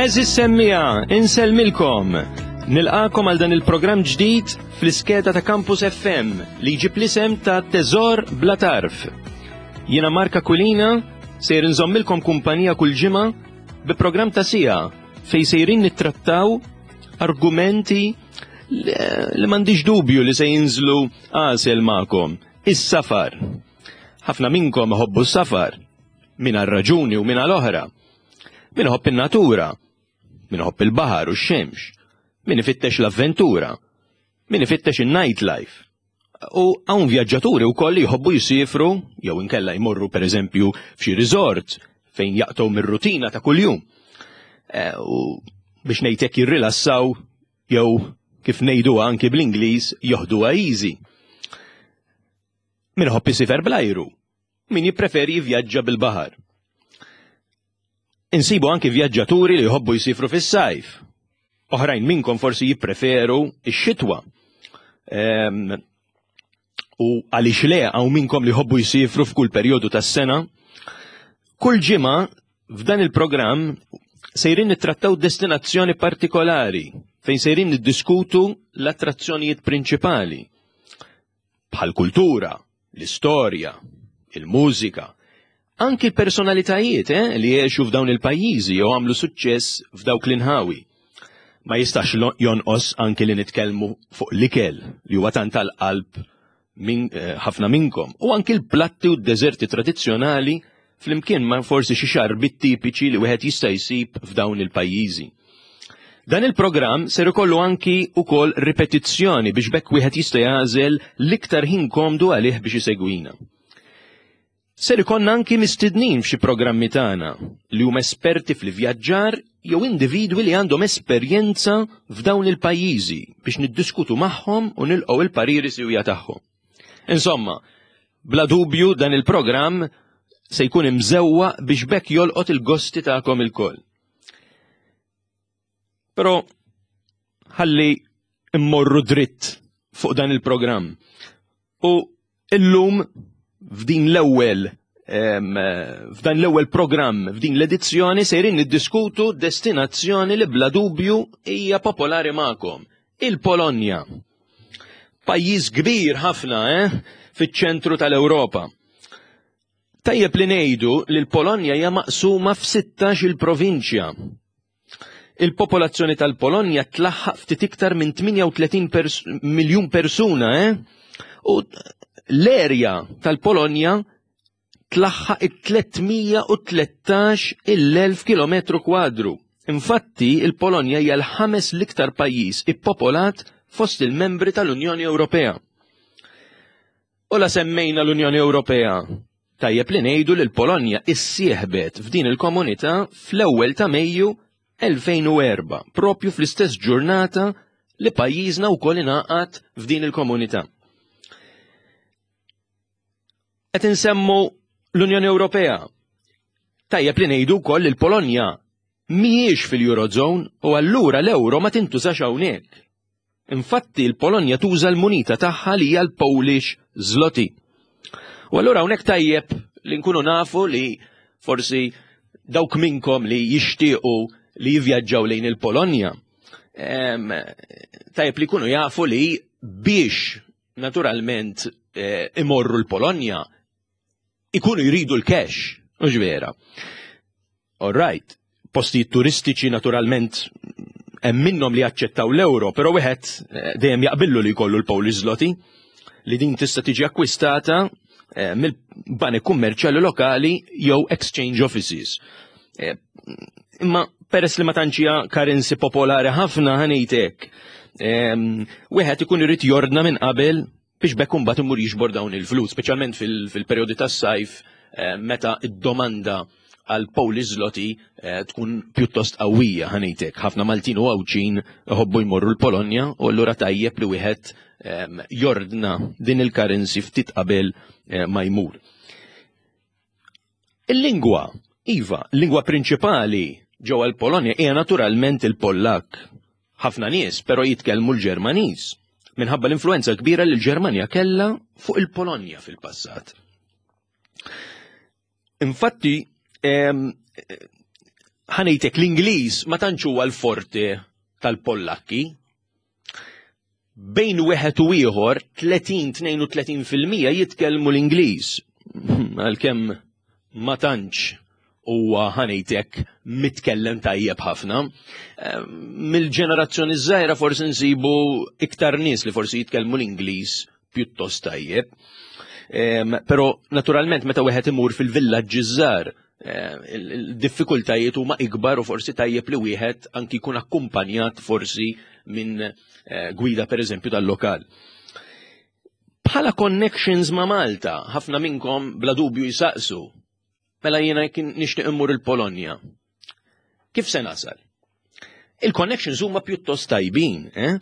Eżis semmija, insellmilkom. Nilqakom għal dan il-programm ġdid fl-iskeda ta' Campus FM li jġib l-isem ta' Teżor Bla Tarf. Jiena Marka Kulina sejr nżommilkom kumpanija kull ġimgħa bi programm ta' sija fej sejrin nittrattaw argumenti li m'għandix dubju li se jinżlu għasel magħkom. Is-safar. Ħafna minnkom iħobbu s-safar, min għal raġuni u min għal oħra. Min iħobb in-natura, min iħobb il-baħar u x-xemx, min ifittex l-avventura, min ifittex in-nightlife. U hawn vjaġġaturi wkoll li jħobbu jisifru jew inkella jmorru pereżempju f'xi resort fejn jaqtgħu mir-rutina ta' kuljum. Eh, u biex ngħidlek jirrilassaw jew kif ngħiduha anki bl-Ingliż joħduha easy. Min iħobb isifer bl-ajru, min jippreferi jivvjaġġa bil-baħar. Insibu anki vjaġġaturi li jħobbu jsifru fis-sajf. Oħrajn minnkom forsi jippreferu x-xitwa. Ehm, u għaliex le hawn minnkom li jħobbu jsifru f'kull perjodu tas-sena. Kull ġimgħa f'dan il-programm sejrin nittrattaw destinazzjoni partikolari fejn sejrin niddiskutu l-attrazzjonijiet prinċipali bħal kultura, l-istorja, il-mużika, anki l-personalitajiet eh, li jgħixu f'dawn il-pajjiżi jew għamlu suċċess f'dawk l-inħawi. Ma jistax jonqos anki li nitkellmu fuq l-ikel li huwa tant tal-qalb min, eh, ħafna minnkom u anki l-platti u d-deżerti tradizzjonali flimkien ma' forsi xi xarbit tipiċi li wieħed jista' jsib f'dawn il-pajjiżi. Dan il-programm ser ikollu anki ukoll ripetizzjoni biex bekk wieħed jista' jagħżel l-iktar ħin komdu għalih biex isegwina. Ser ikollna anki mistednin f'xi programmi tagħna li huma esperti fl-ivvjaġġar jew individwi li għandhom esperjenza f'dawn il-pajjiżi biex niddiskutu magħhom u nilqgħu il-pariri siwja tagħhom. Insomma, bla dubju dan il-programm se jkun imżewwa biex bekk jolqot il-gosti tagħkom ilkoll. Però ħalli immorru dritt fuq dan il-programm. U illum f'din l-ewwel f'dan l-ewwel programm f'din l-edizzjoni sejrin niddiskutu destinazzjoni li bla dubju hija popolari magħkom, il-Polonja. Pajjiż kbir ħafna, eh, fiċ-ċentru tal-Ewropa. Tajjeb li ngħidu li l-Polonja hija maqsuma f'16 il-provinċja. Il-popolazzjoni tal-Polonja tlaħħaq ftit iktar minn 38 pers miljun persuna, eh? U l-erja tal-Polonja tlaħħaq it-313 il-1000 kilometru kwadru. Infatti, il-Polonja hija l-ħames l-iktar pajjiż ippopolat fost il-membri tal-Unjoni Ewropea. U la semmejna l-Unjoni Ewropea, tajjeb li ngħidu li l-Polonja issieħbet f'din il-komunità fl-ewwel ta' Mejju 2004, propju fl-istess ġurnata li pajjiżna wkoll ingħaqad f'din il-komunità. Qed insemmu l-Unjoni Ewropea. Tajjeb li ngħidu wkoll li l-Polonja mhijiex fil-Eurozone u allura l-euro ma tintużax hawnhekk. Infatti l-Polonja tuża l-munita tagħha li hija l-Polish zloty. U allura hawnhekk tajjeb li nkunu nafu li forsi dawk minnkom li jixtiequ li jivvjaġġaw lejn il-Polonja, tajjeb li jkunu jafu li biex naturalment eh, imorru l-Polonja ikunu jridu l-cash, mhux vera. All right, postijiet turistiċi naturalment hemm minnhom li jaċċettaw l-euro, però wieħed eh, dejjem jaqbillu li jkollu l-Polish zloty li din tista' tiġi akkwistata eh, mill-banek kummerċjali lokali jew exchange offices. Eh, imma peress li ma tantx hija currency popolari ħafna ħanejtek, wieħed ikun irid jordna minn qabel biex bekk imbagħad imur jiġbor dawn il-flus, speċjalment fil-perjodi tas-sajf eh, meta id-domanda għal Polish zloty eh, tkun pjuttost qawwija ħanejtek. Ħafna Maltin u Għawdxin iħobbu jmorru l-Polonja u allura tajjeb li wieħed ehm, jordna din il-currency ftit qabel eh, ma jmur. Il-lingwa, iva, l-lingwa prinċipali ġewwa l-Polonja hija naturalment il-Pollak. Ħafna nies però jitkellmu l-Ġermaniż minħabba l-influenza kbira li l-Ġermanja kellha fuq il-Polonja fil-passat. Infatti, Ħa ngħidlek l-Ingliż ma tantx huwa l-forte tal-Pollakki. Bejn wieħed u ieħor 30-32% jitkellmu l-Ingliż. Għalkemm ma tantx huwa ħa ngħidlek mitkellem tajjeb ħafna. Mill-ġenerazzjoni żgħira forsi nsibu iktar nies li forsi jitkellmu l-Ingliż pjuttost tajjeb. Però naturalment meta wieħed imur fil-villaġġi żgħar, il-diffikultajiet huma ikbar u forsi tajjeb li wieħed anki jkun akkumpanjat forsi minn gwida pereżempju tal-lokal. Bħala connections ma' Malta, ħafna minnkom bla dubju jisaqsu, mela jiena jekk nixtieq immur il-Polonja. Kif se nasal? Il-connections huma pjuttost tajbin, eh?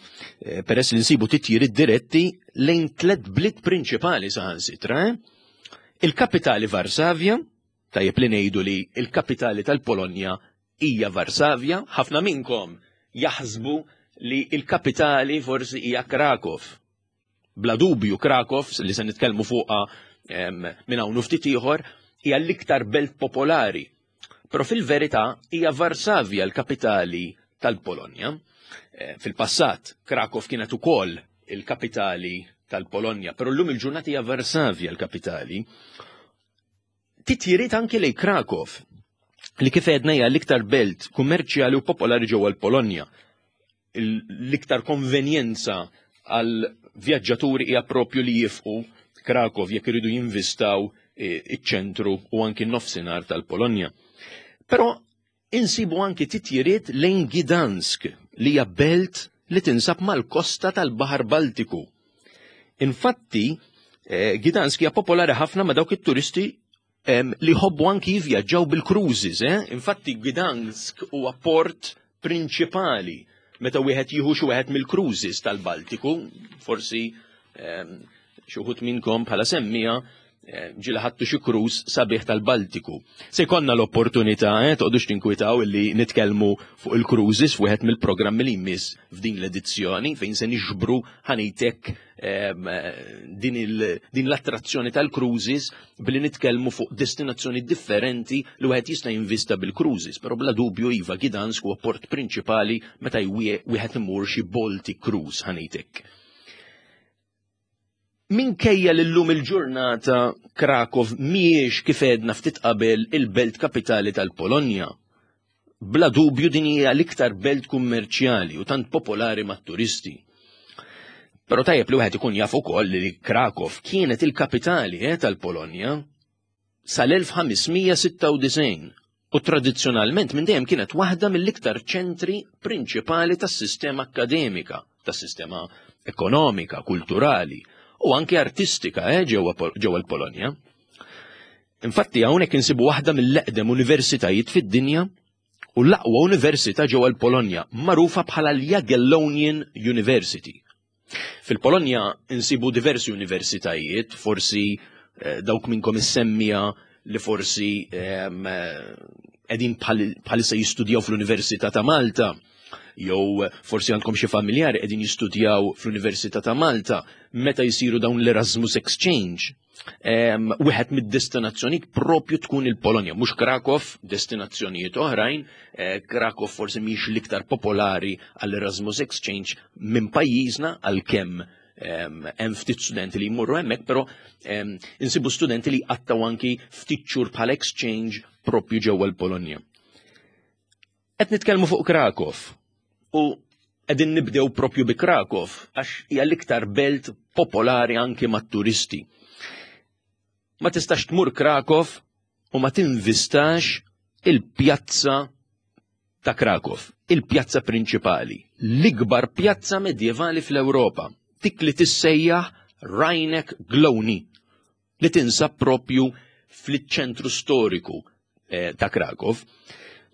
Peress li nsibu titjiriet diretti lejn tlet bliet prinċipali saħansitra. Eh? Il-kapitali Varsavja, tajjeb li ngħidu li il-kapitali tal-Polonja hija Varsavja, ħafna minnkom jaħsbu li il-kapitali forsi hija Krakow. Bla dubju Krakow, li se nitkellmu fuqha minn hawn ftit ieħor, hija l-iktar belt popolari. Però fil-verità hija Varsavja l-kapitali tal-Polonja. Fil-passat Krakow kienet ukoll il-kapitali tal-Polonja, però llum il-ġurnata hija Varsavja l-kapitali. Titjiriet anki lejn Krakow, li kif għedna hija l-iktar belt kummerċjali u popolari ġewwa l-Polonja. L-iktar konvenjenza għal vjaġġaturi hija propju li jifqu Krakow jekk iridu jinvistaw iċ-ċentru u anki n-nofsinhar tal-Polonja. Però insibu anki titjiriet lejn Gdansk li hija belt li tinsab mal-kosta tal-Baħar Baltiku. Infatti, Gdansk hija popolari ħafna ma' dawk it-turisti li jħobbu anki jivvjaġġaw bil-cruises. Eh? Infatti Gdansk huwa port prinċipali meta wieħed jieħu xi wieħed mill-cruises tal-Baltiku, forsi xi wħud minnkom bħala semmija ġieli ħadtu xi cruise sabiħ tal-Baltiku. Se jkollna l-opportunità, toqgħodux tinkwitaw illi nitkellmu fuq il-cruises f'wieħed mill-programmi li jmiss f'din l-edizzjoni fejn se niġbru ħa ngħidlek din l-attrazzjoni tal-cruises billi nitkellmu fuq destinazzjoni differenti li wieħed jista' jinvista bil-cruises, però bla dubju iva Gdansk huwa port prinċipali meta wieħed imur xi Baltic cruise ħa ngħidlek. Minkejja li llum il-ġurnata Krakow mhijiex kif għedna ftit qabel il-belt kapitali tal-Polonja. Bla dubju din hija l-iktar belt kummerċjali u tant popolari mat-turisti. Però tajjeb li wieħed ikun jaf ukoll li Krakow kienet il-kapitali tal-Polonja sal-1596 u tradizzjonalment minn dejjem kienet waħda mill-iktar ċentri prinċipali tas-sistema akkademika, tas-sistema ekonomika, kulturali u anke artistika ġewwa l-Polonja. Infatti hawnhekk insibu waħda mill-eqdem universitajiet fid-dinja u l-aqwa università ġewwa l-Polonja, magħrufa bħala l-Jagiellonian University. Fil-Polonja insibu diversi universitajiet, forsi dawk minnkom is-semmija li forsi qegħdin bħalissa jistudjaw fl-Università ta' Malta, jew forsi għandkom xi familjari qegħdin jistudjaw fl-Università ta' Malta, meta jsiru dawn l-Erasmus Exchange. Wieħed mid-destinazzjonijiet propju tkun il-Polonja, mhux Krakow, destinazzjonijiet oħrajn. Krakow forsi mhix l-iktar popolari għall-Erasmus Exchange minn pajjiżna, għalkemm hemm ftit studenti li jmorru hemmhekk, però insibu studenti li jqattaw anki ftit xhur bħal exchange propju ġewwa l-Polonja. Qed nitkellmu fuq Krakow u qegħdin nibdew propju bi Krakow għax hija l-iktar belt popolari anki mat-turisti. Ma tistax tmur Krakow u ma tinvistax il-pjazza ta' Krakow, il-pjazza prinċipali, l-ikbar pjazza medjevali fl-Ewropa, dik li tissejjaħ Rynek Główny, li tinsab propju fil-ċentru storiku ta' Krakow.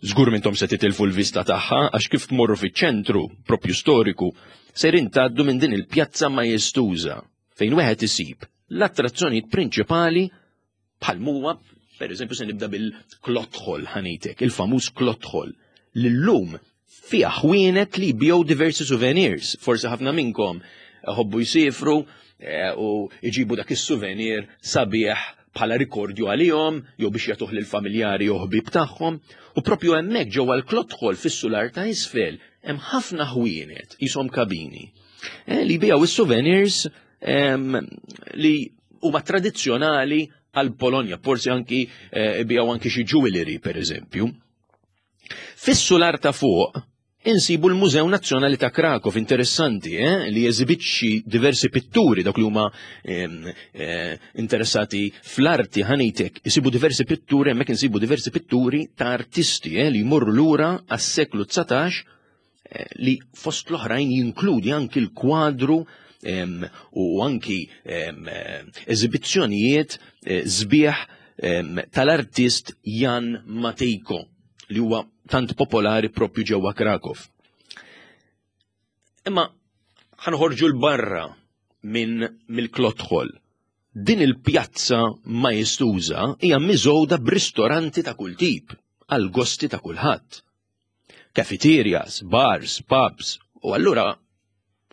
Żgur mintom se titilfu l-vista tagħha għax kif tmorru fiċ-ċentru propju storiku sejrin tgħaddu minn din il-pjazza majestuża fejn wieħed isib l-attrazzjonijiet prinċipali bħal muwa, per eżempju, se nibda bil-Cloth Hall ħa ngħidlek, il-famuż Cloth Hall, li llum fiha ħwienet li jbigħu diversi souvenirs. Forsi ħafna minnkom ħobbu jsifru u jġibu dak is-souvenir sabiħ. bħala rikordju għalihom jew biex jagħtuh lill-familjari jew ħbieb tagħhom. U propju hemmhekk ġewwa l-Klotħol fis-sular ta' isfel hemm ħafna ħwienet qishom kabini eh, li jbijaw is-souvenirs li huma tradizzjonali għal Polonja, forsi anki eh, bijaw anki xi jewelry per eżempju. Fis-sular ta' fuq insibu l-Mużew Nazzjonali ta' Krakow interessanti eh, li jeżibixxi diversi pitturi dawk li huma eh, interessati fl-arti ħanitek isibu diversi pitturi hemmhekk insibu diversi pitturi ta' artisti eh, li jmorru lura għas-seklu 19 eh, li fost l-oħrajn jinkludi anki l-kwadru u anki eżibizzjonijiet eh, sbieħ tal-artist Jan Matejko li huwa tant popolari propju ġewwa Krakow. Imma ħanħorġu l-barra minn mill-Klothol. Din il-pjazza majestuża hija miżgħuda b'ristoranti ta' kull tip għal gosti ta' kulħadd. Cafeterias, bars, pubs, u allura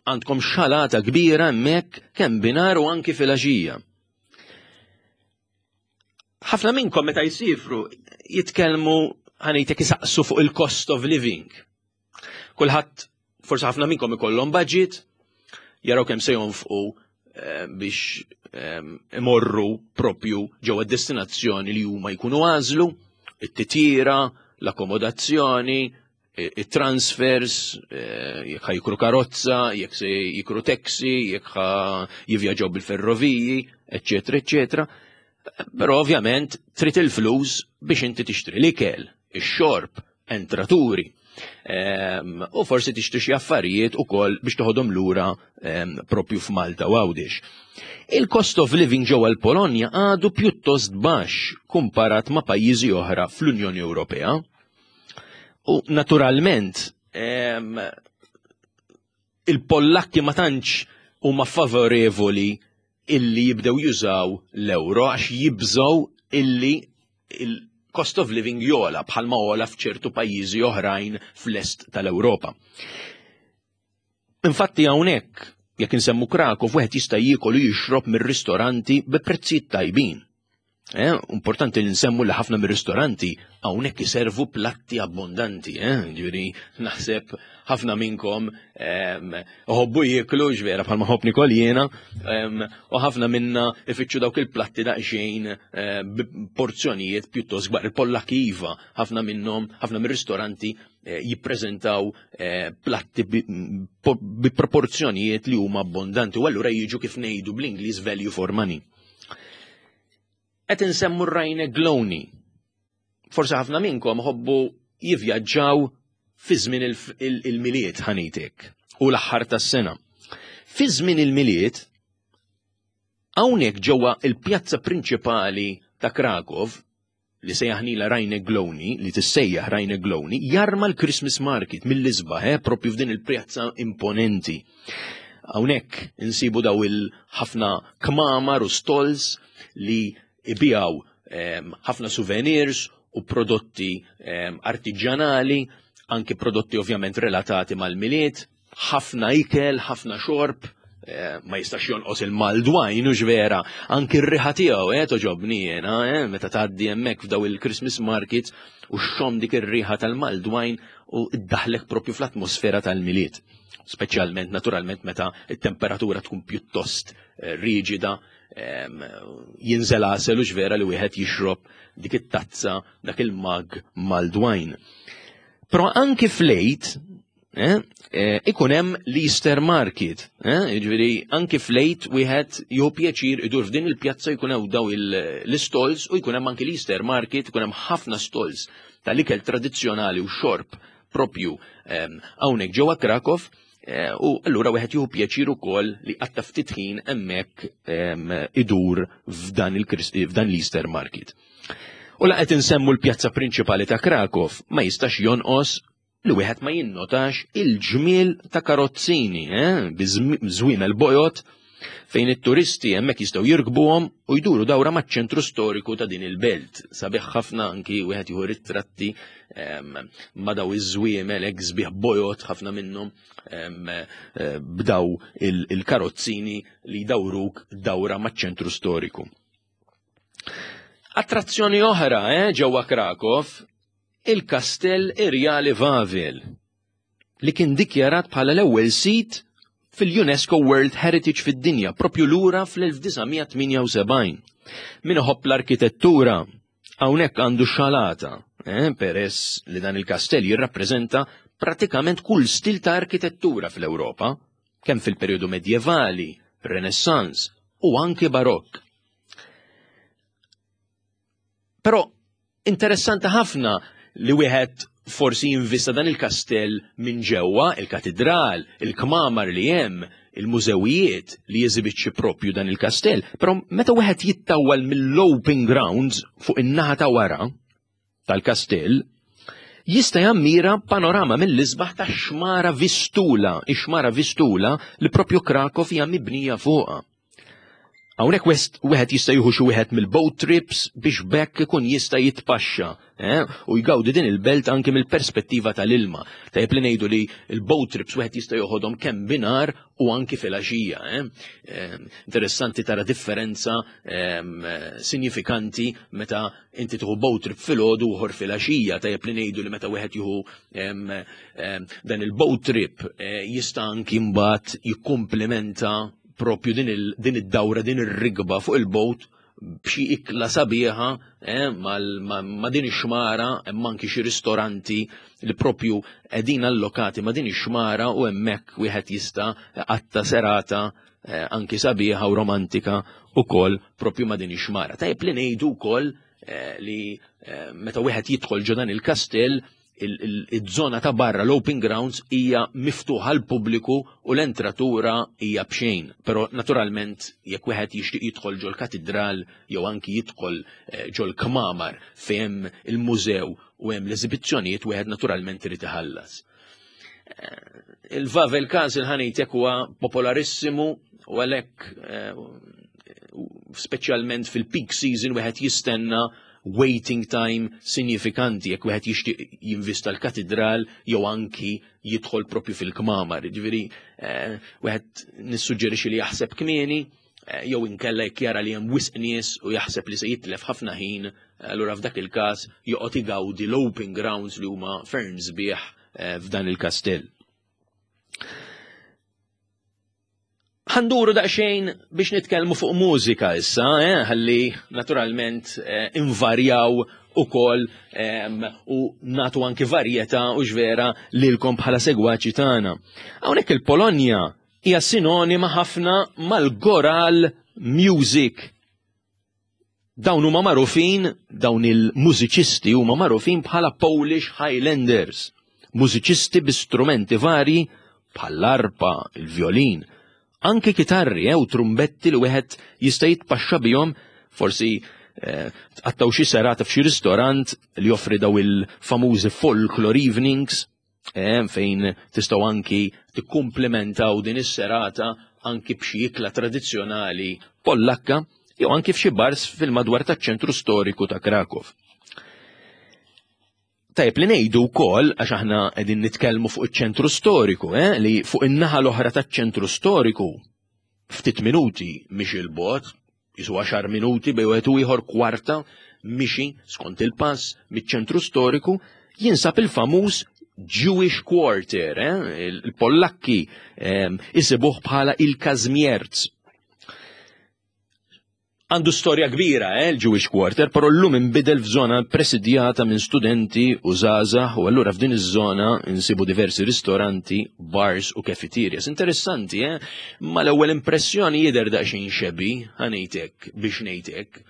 għandkom xalata kbira hemmhekk kemm binar u anki filgħaxija. Ħafna minnkom meta jsifru jitkellmu ħanejtek isaqsu fuq il-cost of living. Kulħadd forsi ħafna minnkom ikollhom budget, jaraw kemm se jonfqu eh, biex eh, imorru propju ġewwa destinazzjoni li huma jkunu għażlu, it-titjira, l-akkomodazzjoni, it-transfers, eh, jekk ħa jikru karozza, jekk se jikru taxi, jekk ħa jivvjaġġaw bil-ferroviji, eċċetera, eċċetera. Però ovvjament trid il-flus biex inti tixtri l-ikel, ix-xorb, entraturi. Ehm, u forsi tixtri xi affarijiet ukoll biex toħodhom lura ehm, propju f'Malta u Għawdex. Il-cost of living ġewwa l-Polonja għadu pjuttost baxx kumparat ma' pajjiżi oħra fl-Unjoni Ewropea. U naturalment ehm, il-Pollakki ma tantx huma favorevoli illi jibdew jużaw l-euro għax jibżgħu illi il-cost of living jola bħalma ola f'ċertu pajjiżi oħrajn fl-est tal-Ewropa. Infatti hawnhekk jekk insemmu Krakow wieħed jista' jiekol u jixrob mir-ristoranti bi prezzijiet tajbin. Eh, importanti li nsemmu li ħafna mir-ristoranti hawnhekk iservu platti abbondanti, eh, ġifieri naħseb ħafna minnkom ehm, ħobbu jieklu ġvera bħalma ħobb nikol jiena, ehm, u ħafna minna ifittxu dawk il-platti daqsxejn eh, porzjonijiet pjuttost kbar. Il-Pollakki iva, ħafna minnhom, ħafna mir-ristoranti eh, jippreżentaw eh, platti bi proporzjonijiet li huma abbondanti u allura jiġu kif ngħidu bl-Ingliż value for money. Qed insemmu r-Rajne Glowni. Forsi ħafna minnkom ħobbu jivvjaġġaw fi żmien il-miliet ħanitek u l-aħħar tas-sena. Fi żmien il-miliet hawnhekk ġewwa il-pjazza prinċipali ta' Krakow li sejjaħnila Rajne Glowni, li tissejjaħ Rajne Glowni, jarma l-Christmas Market mill-isbaħ, eh, propju f'din il-pjazza imponenti. Hawnhekk insibu daw il-ħafna kmamar u stalls li ibijaw ehm, ħafna souvenirs u prodotti ehm, artiġjanali, anki prodotti ovvjament relatati mal-miliet, ħafna ikel, ħafna xorb, eh, ma jistax jonqos il-maldwajn u vera, anki r-riħa tiegħu eh, toġobni jiena, eh, meta tgħaddi hemmhekk f'daw il-Christmas markets u xxomm dik ir-riħa tal-maldwajn u ddaħlek propju fl-atmosfera tal-milied. Speċjalment naturalment meta t-temperatura tkun pjuttost eh, riġida, jinżel għasel u vera li wieħed jixrob dik it-tazza dak il-mag maldwajn. Però anki flejt Eh, eh, ikun hemm l-Easter Market, eh, jiġifieri anki flejt wieħed jieħu pjaċir idur f'din il-pjazza jkun hemm daw l-istalls u jkun hemm anki l-Easter Market, ikun hemm ħafna stalls tal-ikel tradizzjonali u xorb propju ehm, hawnhekk ġewwa Krakow u allura wieħed jieħu pjaċir ukoll li qatta ftit ħin hemmhekk ehm, idur f'dan l-Easter Market. U laqgħet insemmu l-pjazza prinċipali ta' Krakow ma jistax jonqos li wieħed ma jinnotax il-ġmiel ta' karozzini, eh, biż-żwiemel bojod fejn it-turisti hemmhekk jistgħu jirkbuhom u jduru dawra maċ-ċentru storiku ta' din il-belt. Sabiħ ħafna anki wieħed jieħu ritratti ehm, ma' daw iż-żwiemel hekk sbieħ bojod ħafna minnhom ehm, eh, b'daw il-karozzini li jdawruk dawra maċ-ċentru storiku. Attrazzjoni oħra eh, ġewwa Krakow, il-Kastell Irjali Vavel, li kien dikjarat bħala l-ewwel sit fil-UNESCO World Heritage fid-dinja propju lura fl-1978. Min iħobb l-arkitettura hawnhekk għandu xalata, eh, peress li dan il-kastell jirrappreżenta pratikament kull stil ta' arkitettura fl-Ewropa, kemm fil-perjodu medjevali, Renaissance u anki Barokk. Però interessanti ħafna li wieħed forsi jinvista dan il-kastell minn ġewwa, il-katidral, il-kmamar li hemm, il-mużewijiet li jeżibixxi propju dan il-kastell, però meta wieħed jittawwal mill-open grounds fuq in-naħa ta' wara tal-kastell, jista' jammira panorama mill-isbaħ ta' xmara Vistula, ix-xmara Vistula li propju Krakow hija mibnija fuqha. Hawnhekk wieħed jista' jieħu xi wieħed mill-boat trips biex bekk ikun jista' jitpaxxa eh, u jgawdi din il-belt anke mill-perspettiva tal-ilma. Tajjeb li ngħidu li l-boat trips wieħed jista' joħodhom kemm binar u anki filgħaxija. Eh. Eh, interessanti tara differenza ehm, sinifikanti meta inti tieħu boat trip filgħodu u ieħor filgħaxija. Tajjeb li ngħidu li meta wieħed jieħu ehm, ehm, dan il-boat trip jista' anki mbagħad jikkumplimenta propju din id-dawra, din ir-rigba fuq il-bot b'xi ikla sabiħa eh, ma' din ix-xmara hemm anki xi ristoranti li propju qegħdin allokati ma' din ix-xmara u hemmhekk wieħed jista' qatta serata eh, anki sabiħa u romantika ukoll propju ma' din ix-xmara. Tajjeb li ngħidu wkoll eh, li meta wieħed jidħol ġo dan il-kastell iż-żona ta' barra l-open grounds hija miftuħa għal pubbliku u l-entratura hija b'xejn. Però naturalment jekk wieħed jixtieq jidħol ġol katidral jew anki jidħol eh, ġol kmamar fejn hemm il-mużew u hemm l-eżibizzjonijiet wieħed naturalment irid iħallas. Eh, Il-Vavel Castle ħanejtek huwa popolarissimu u għalhekk eh, speċjalment fil-peak season wieħed jistenna waiting time sinjifikanti jekk wieħed jixtieq jinvista l-katidral jew anki jidħol propju fil-kmamar. Ġifieri eh, wieħed nissuġġerixxi li jaħseb kmieni eh, jew inkella jekk jara li hemm wisq nies u jaħseb li se jitlef ħafna ħin, allura f'dak il-każ joqgħod igawdi l-open grounds li huma ferm sbieħ eh, f'dan il-kastell. Ħanduru daqsxejn biex nitkellmu fuq mużika issa, eh, ħalli naturalment eh, invarjaw ukoll eh, u natu anki varjetà u ġvera lilkom bħala segwaċi tagħna. Hawnhekk il-Polonja hija sinonima ħafna mal-goral music. Dawn huma magħrufin, dawn il-mużiċisti huma magħrufin bħala Polish Highlanders, mużiċisti bi strumenti varji bħall-arpa, il-vjolin, anke kitarri eh, u trumbetti li wieħed jista' jitpaxxa bihom forsi eh, tqattaw xi serata f'xi ristorant li joffri daw il-famużi folklore evenings eh, fejn tistgħu anki tikkumplimentaw din is-serata anki b'xi ikla tradizzjonali Pollakka jew anki f'xi bars fil-madwar taċ-ċentru storiku ta' Krakow. Tajjeb li ngħidu wkoll għax aħna qegħdin nitkellmu fuq iċ-ċentru storiku, eh, li fuq in-naħa l-oħra taċ-ċentru storiku ftit minuti mhix il-bogħod, Jisu għaxar minuti bej wieħed u ieħor kwarta mixi skont il-pass miċ-ċentru storiku jinsab il-famuż Jewish Quarter, eh? il-Pollakki eh, isibuh bħala il-Kazmierz. Għandu storja kbira, eh, il-Jewish Quarter, però llum inbidel f'żona presidjata minn studenti u żgħażagħ u allura f'din iż-żona nsibu diversi ristoranti, bars u cafeterias. Interessanti, eh? Ma l-ewwel impressjoni jidher daqsxejn xebi, ħanejtek biex ngħidek.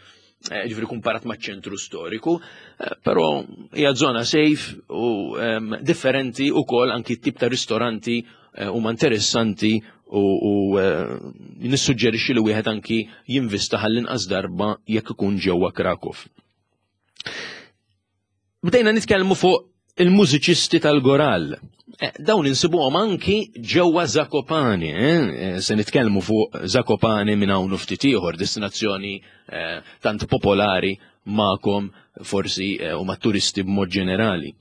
Eh, ġifieri kumparat maċ-ċentru storiku, eh, però hija żona safe u ehm, differenti wkoll anki tip ta' ristoranti eh, huma interessanti u nissuġġerixxi li wieħed anki jinvista ħall-inqas darba jekk ikun ġewwa Krakow. Bdejna nitkellmu fuq il-mużiċisti tal-goral. Eh, dawn insibuhom anki ġewwa Zakopane, eh? eh, se nitkellmu fuq Zakopane minn hawn ftit ieħor, destinazzjoni tant popolari magħkom forsi u mat-turisti b'mod ġenerali.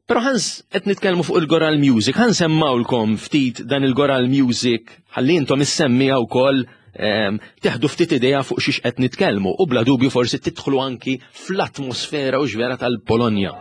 Però ħans qed nitkellmu fuq il-Goral Music, ħan semmawlkom ftit dan il-Goral Music ħalli intom issemmija wkoll teħdu ftit idea fuq xiex qed nitkellmu u bla dubju forsi tidħlu anki fl-atmosfera u xvera tal-Polonja.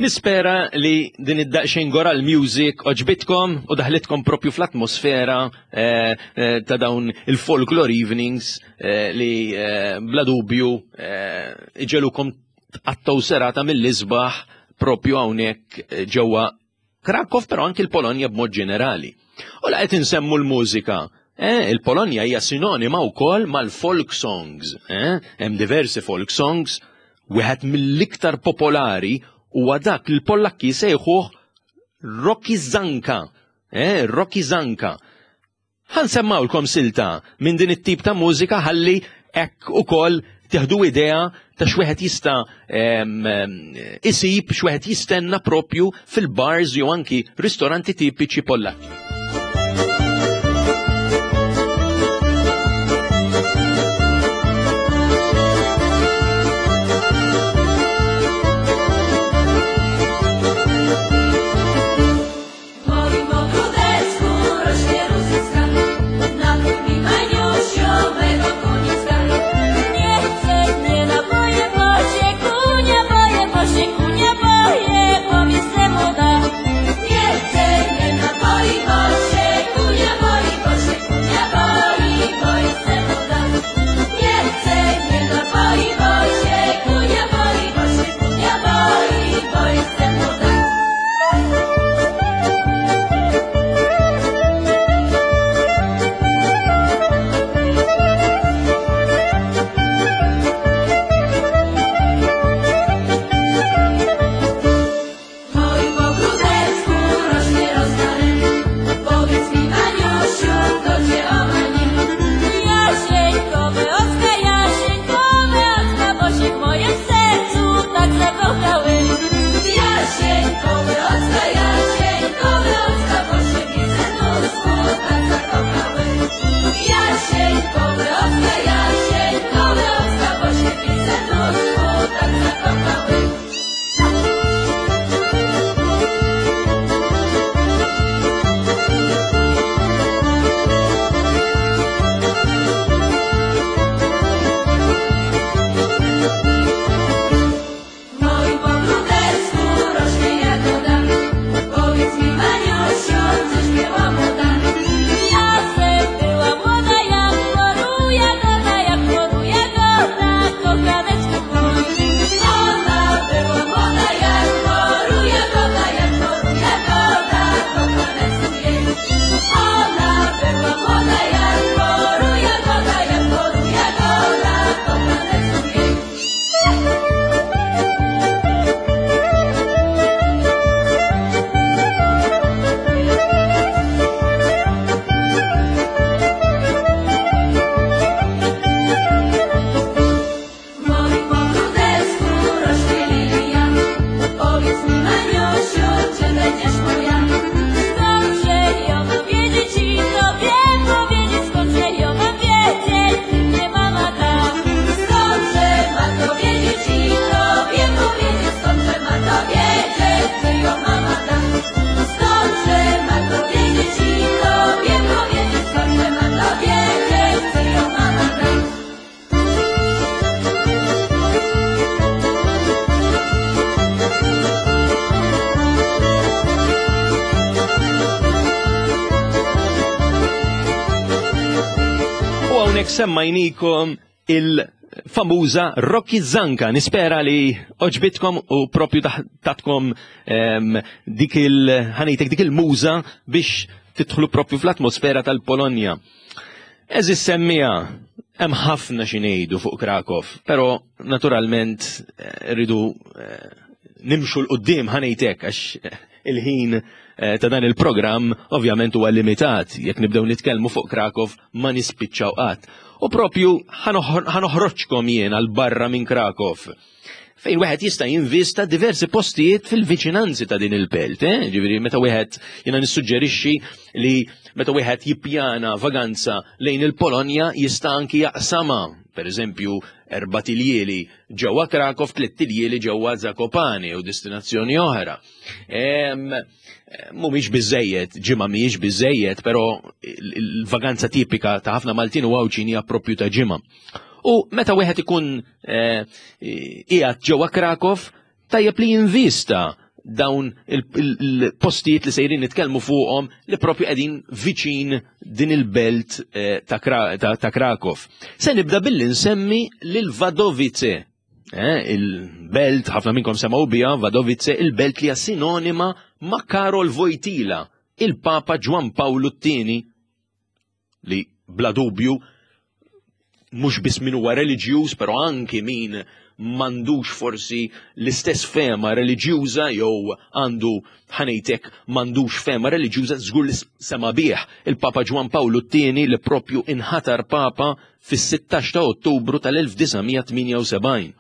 Nispera li din id-daqxejn goral music oġbitkom u daħlitkom propju fl-atmosfera eh, eh, ta' dawn il-folklore evenings eh, li bla dubju iġelukom tqattaw serata mill-isbaħ propju hawnhekk ġewwa Krakow però anki l-Polonja b'mod ġenerali. U la qed insemmu l-mużika, eh, il-Polonja hija sinonima wkoll mal-folk songs. Eh? Hemm diversi folk songs, wieħed mill-iktar popolari huwa dak li l-Pollakki sejħuh Rokizanka. Eh, Rokizanka. Ħa nsemmgħulkom silta minn din it-tip ta' mużika ħalli hekk ukoll teħdu idea ta' x'wieħed jista' isib x'wieħed jistenna propju fil-bars jew anki ristoranti tipiċi Pollakki. Nie chcę, nie napoi, bo Hawnhekk semmajnikom il-famuża Rocky Zanka. Nispera li oġbitkom u propju tatkom ehm, dik il-ħanejtek dik il-muża biex tidħlu propju fl-atmosfera tal-Polonja. Eżis semmija, hemm ħafna xi ngħidu fuq Krakow, però naturalment eh, rridu eh, nimxu l-qudiem ħanejtek għax eh, il-ħin ta' dan il-programm ovvjament huwa limitat. Jekk nibdew nitkellmu fuq Krakow ma nispiċċaw qatt. U propju ħanoħroġkom jien għal barra minn Krakow fejn wieħed jista' jinvista diversi postijiet fil-viċinanzi ta' din il-belt. Eh? Ġifieri meta wieħed jiena nissuġġerixxi li meta wieħed jippjana vaganza lejn il-Polonja jista' anki jaqsama, per eżempju, erba' tiljieli ġewwa Krakow, tliet tiljieli ġewwa Zakopane u destinazzjoni oħra. Mhumiex biżejjed, ġimgħa mhijiex biżejjed, però il-vaganza tipika ta' ħafna Maltin u Għawdxin hija propju ta' ġimgħa. U meta wieħed ikun eh, qiegħed ġewwa Krakow, tajjeb li jinvista dawn il-postijiet li sejrin nitkellmu fuqhom li propju qegħdin viċin din il-belt eh, ta' Krakow. Se nibda billi nsemmi lil Vadovice. Eh, il-belt, ħafna minnkom semgħu biha, Vadovice, il-belt li hija sinonima ma' Karol Wojtyla, il-Papa Ġwan Pawlu t-tieni li bla dubju mhux biss min huwa reliġjuż, però anki min m'għandux forsi l-istess fema reliġjuża jew għandu ħanejtek m'għandux fema reliġjuża żgur li sema bih il-Papa Ġwan Pawlu t-tieni li propju inħatar Papa fis-16 ta' Ottubru tal-1978.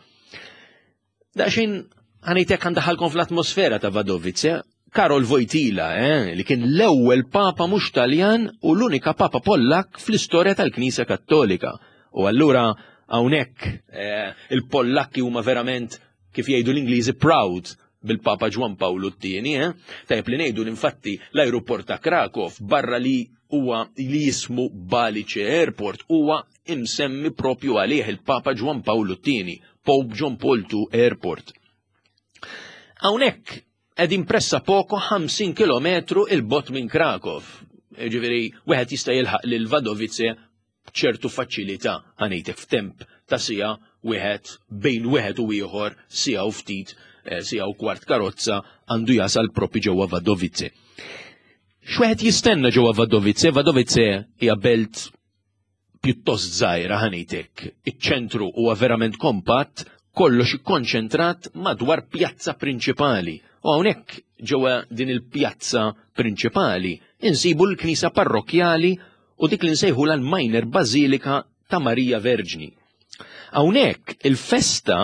Daqsxejn ħanejtek għandaħalkom fl-atmosfera ta' Vadovice, Karol Wojtyla, eh, li kien l-ewwel papa mhux Taljan u l-unika papa Pollak fl-istorja tal-Knisja Kattolika. U allura hawnhekk eh, il-Pollakki huma verament kif jgħidu l-Ingliżi proud bil-Papa Ġwan Pawlu t-tieni, eh? Tajjeb li ngħidu l-infatti l-ajruport ta' Krakow barra li huwa li jismu Balice Airport huwa imsemmi propju għalih il-Papa Ġwan Pawlu t-tieni, Pope John Paul II Airport. Hawnhekk qegħdin pressa poco 50 km il-bot minn Krakow. Ġifieri wieħed jista' jilħaq lil Vadovice b'ċertu faċilità ħanejtek f'temp ta' sija wieħed bejn wieħed u ieħor sija u ftit eh, sija u kwart karozza għandu jasal propi ġewwa Vadovice. X'wieħed jistenna ġewwa Vadovice? Vadovice hija belt pjuttost żgħira ħanejtek. Iċ-ċentru huwa verament kompatt, kollox ikkonċentrat madwar pjazza prinċipali. U hawnhekk ġewwa din il-pjazza prinċipali insibu l-knisja parrokkjali u dik li nsejħu l-Minor Bażilika ta' Marija Verġni. Hawnhekk il-festa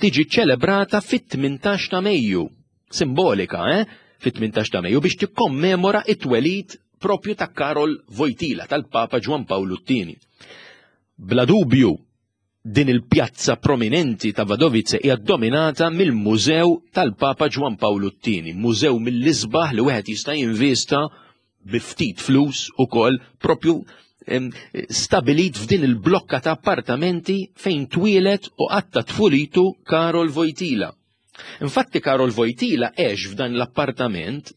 tiġi ċelebrata fit-18 ta' Mejju simbolika, eh? fit-18 ta' Mejju biex tikkommemora it-twelid propju ta' Karol Wojtyla tal-Papa Ġwan Pawlu II. Bla dubju, din il-pjazza prominenti ta' Vadovice hija dominata mill-Mużew tal-Papa Ġwan Pawlu II, mużew mill-isbaħ li wieħed jista' jinvista bi ftit flus ukoll propju stabilit f'din il-blokka ta' appartamenti fejn twieled u qatta tfulitu Karol Wojtyla. Infatti Karol Wojtyla għex f'dan l-appartament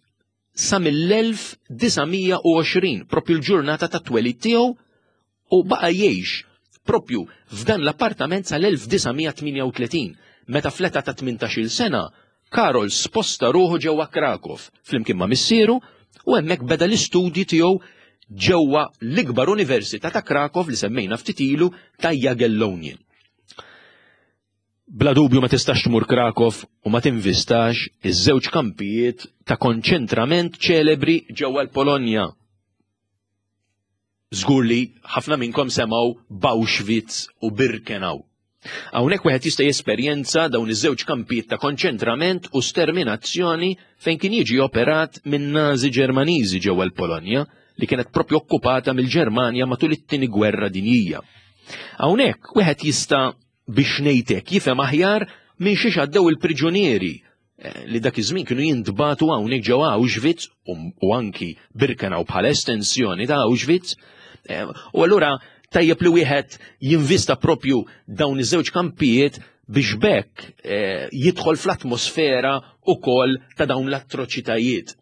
sa mill-1920, propju l-ġurnata ta' twelid tiegħu u baqa' jgħix propju f'dan l-appartament sal-1938, meta fl-età ta' 18-il sena Karol sposta ruħu ġewwa Krakow flimkien ma' missieru u hemmhekk beda l-istudji tiegħu ġewwa l-ikbar università ta' Krakow li semmejna ftit ilu ta' Jagiellonian. Bla dubju ma tistax tmur Krakow u ma tinvistax iż-żewġ kampijiet ta' konċentrament ċelebri ġewwa l-Polonja. Żgur li ħafna minnkom semgħu b'Auschwitz u Birkenau. Hawnhekk wieħed jista' jesperjenza dawn iż-żewġ kampijiet ta' konċentrament u sterminazzjoni fejn kien jiġi operat minn Nazi Ġermaniżi ġewwa l-Polonja li kienet propju okkupata mill-Ġermanja matul it-Tieni Gwerra Dinjija. Hawnhekk wieħed jista' biex ngħid hekk jifhem aħjar minn xiex għaddew il-priġunieri eh, li dak iż-żmien kienu jintbatu hawnhekk ġewwa Auschwitz u anki Birkenau bħala estensjoni ta' Auschwitz. Eh, u allura tajjeb li wieħed jinvista propju dawn iż-żewġ kampijiet biex bekk eh, jidħol fl-atmosfera ukoll ta' dawn l-atroċitajiet.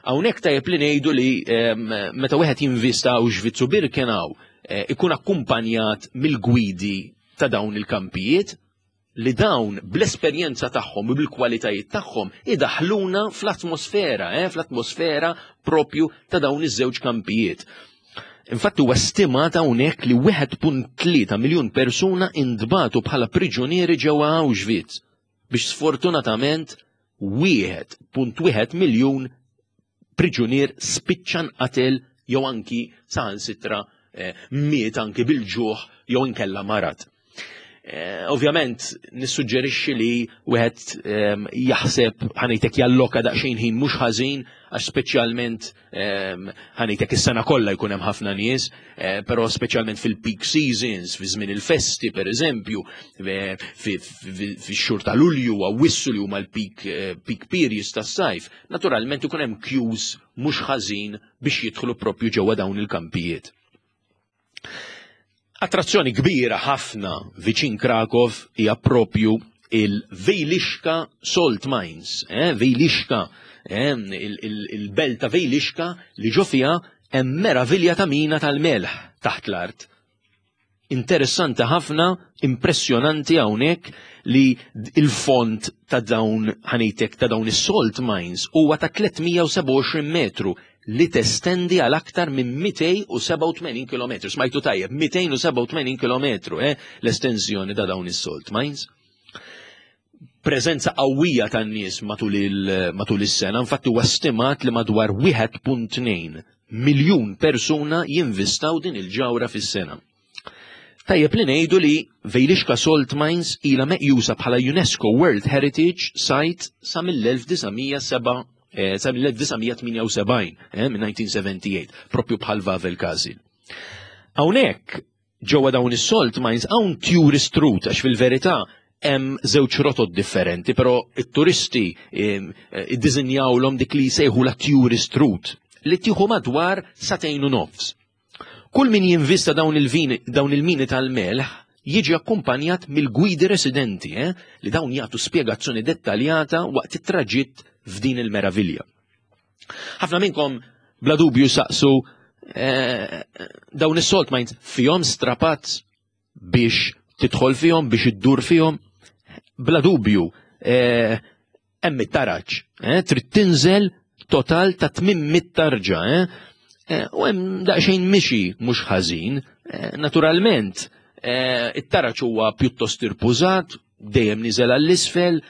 Hawnhekk tajjeb li ngħidu li ehm, meta wieħed jinvista Auschwitz u Birkenau, ikun akkumpanjat mill-gwidi ta' dawn il-kampijiet li dawn bl-esperjenza tagħhom u bil-kwalitajiet tagħhom idaħluna fl-atmosfera, eh, fl-atmosfera propju ta' dawn iż-żewġ kampijiet. Infatti huwa stimat hawnhekk li 1.3 miljun persuna intbatu bħala priġunieri ġewwa Auschwitz biex sfortunatament 1.1 miljun priġunier spiċċa nqatel jew anki saħansitra eh, miet anki bil-ġuħ jew inkella marad. Eh, ovvjament, nissuġġerixxi li wieħed ehm, jaħseb ħanejtek jalloka daqsxejn ħin mhux ħażin għax speċjalment ehm, ħanejtek is-sena kollha jkun hemm ħafna nies, eh, però speċjalment fil-peak seasons, fi żmien il-festi pereżempju, eh, fix-xhur ta' Lulju Awwissu li huma l-peak peak periods tas-sajf, naturalment ikun hemm queues mhux ħażin biex jidħlu propju ġewwa dawn il-kampijiet. Attrazzjoni kbira ħafna viċin Krakow hija propju il-Vejlixka Salt Mines, eh, Vejlixka, eh, il-belt ta' Vejlixka li ġo fiha hemm meravilja ta' mina tal-melħ taħt l-art. Interessanti ħafna, impressjonanti hawnhekk li il-font ta' dawn ħanejtek ta' dawn is-salt mines huwa ta' 327 metru li testendi għal aktar minn 287 km. Smajtu tajjeb, 287 km, eh, l-estensjoni ta' dawn is-salt mines. Preżenza qawwija tan-nies matul is-sena, infatti huwa stimat li madwar 1.2 miljun persuna jinvistaw din il-ġawra fis-sena. Tajjeb li ngħidu li Vejlixka Salt Mines ilha meqjusa bħala UNESCO World Heritage Site sa mill-1907 eh, sa mill-1978, eh, minn 1978, propju bħal Vavel Castle. Hawnhekk ġewwa dawn is-salt mines hawn tourist route għax fil-verità hemm żewġ rotot differenti, però it-turisti eh, iddiżinjawlhom dik li jsejħu la tourist route li tieħu madwar sagħtejn u nofs. Kull min jinvista dawn il-vini, dawn il-mini tal-melħ jiġi akkumpanjat mill-gwidi residenti eh, li dawn jagħtu spjegazzjoni dettaljata waqt it-traġitt f'din il-meravilja. Ħafna minnkom bla dubju saqsu eh, dawn is-salt mines fihom strapazz biex tidħol fihom, biex iddur fihom. Bla dubju, eh, hemm it-taraġ, eh, trid tinżel total ta' 800 tarġa, eh, eh, u hemm daqsxejn mixi mhux ħażin, naturalment, it-taraġ huwa pjuttost irpużat, dejjem niżel għall-isfel,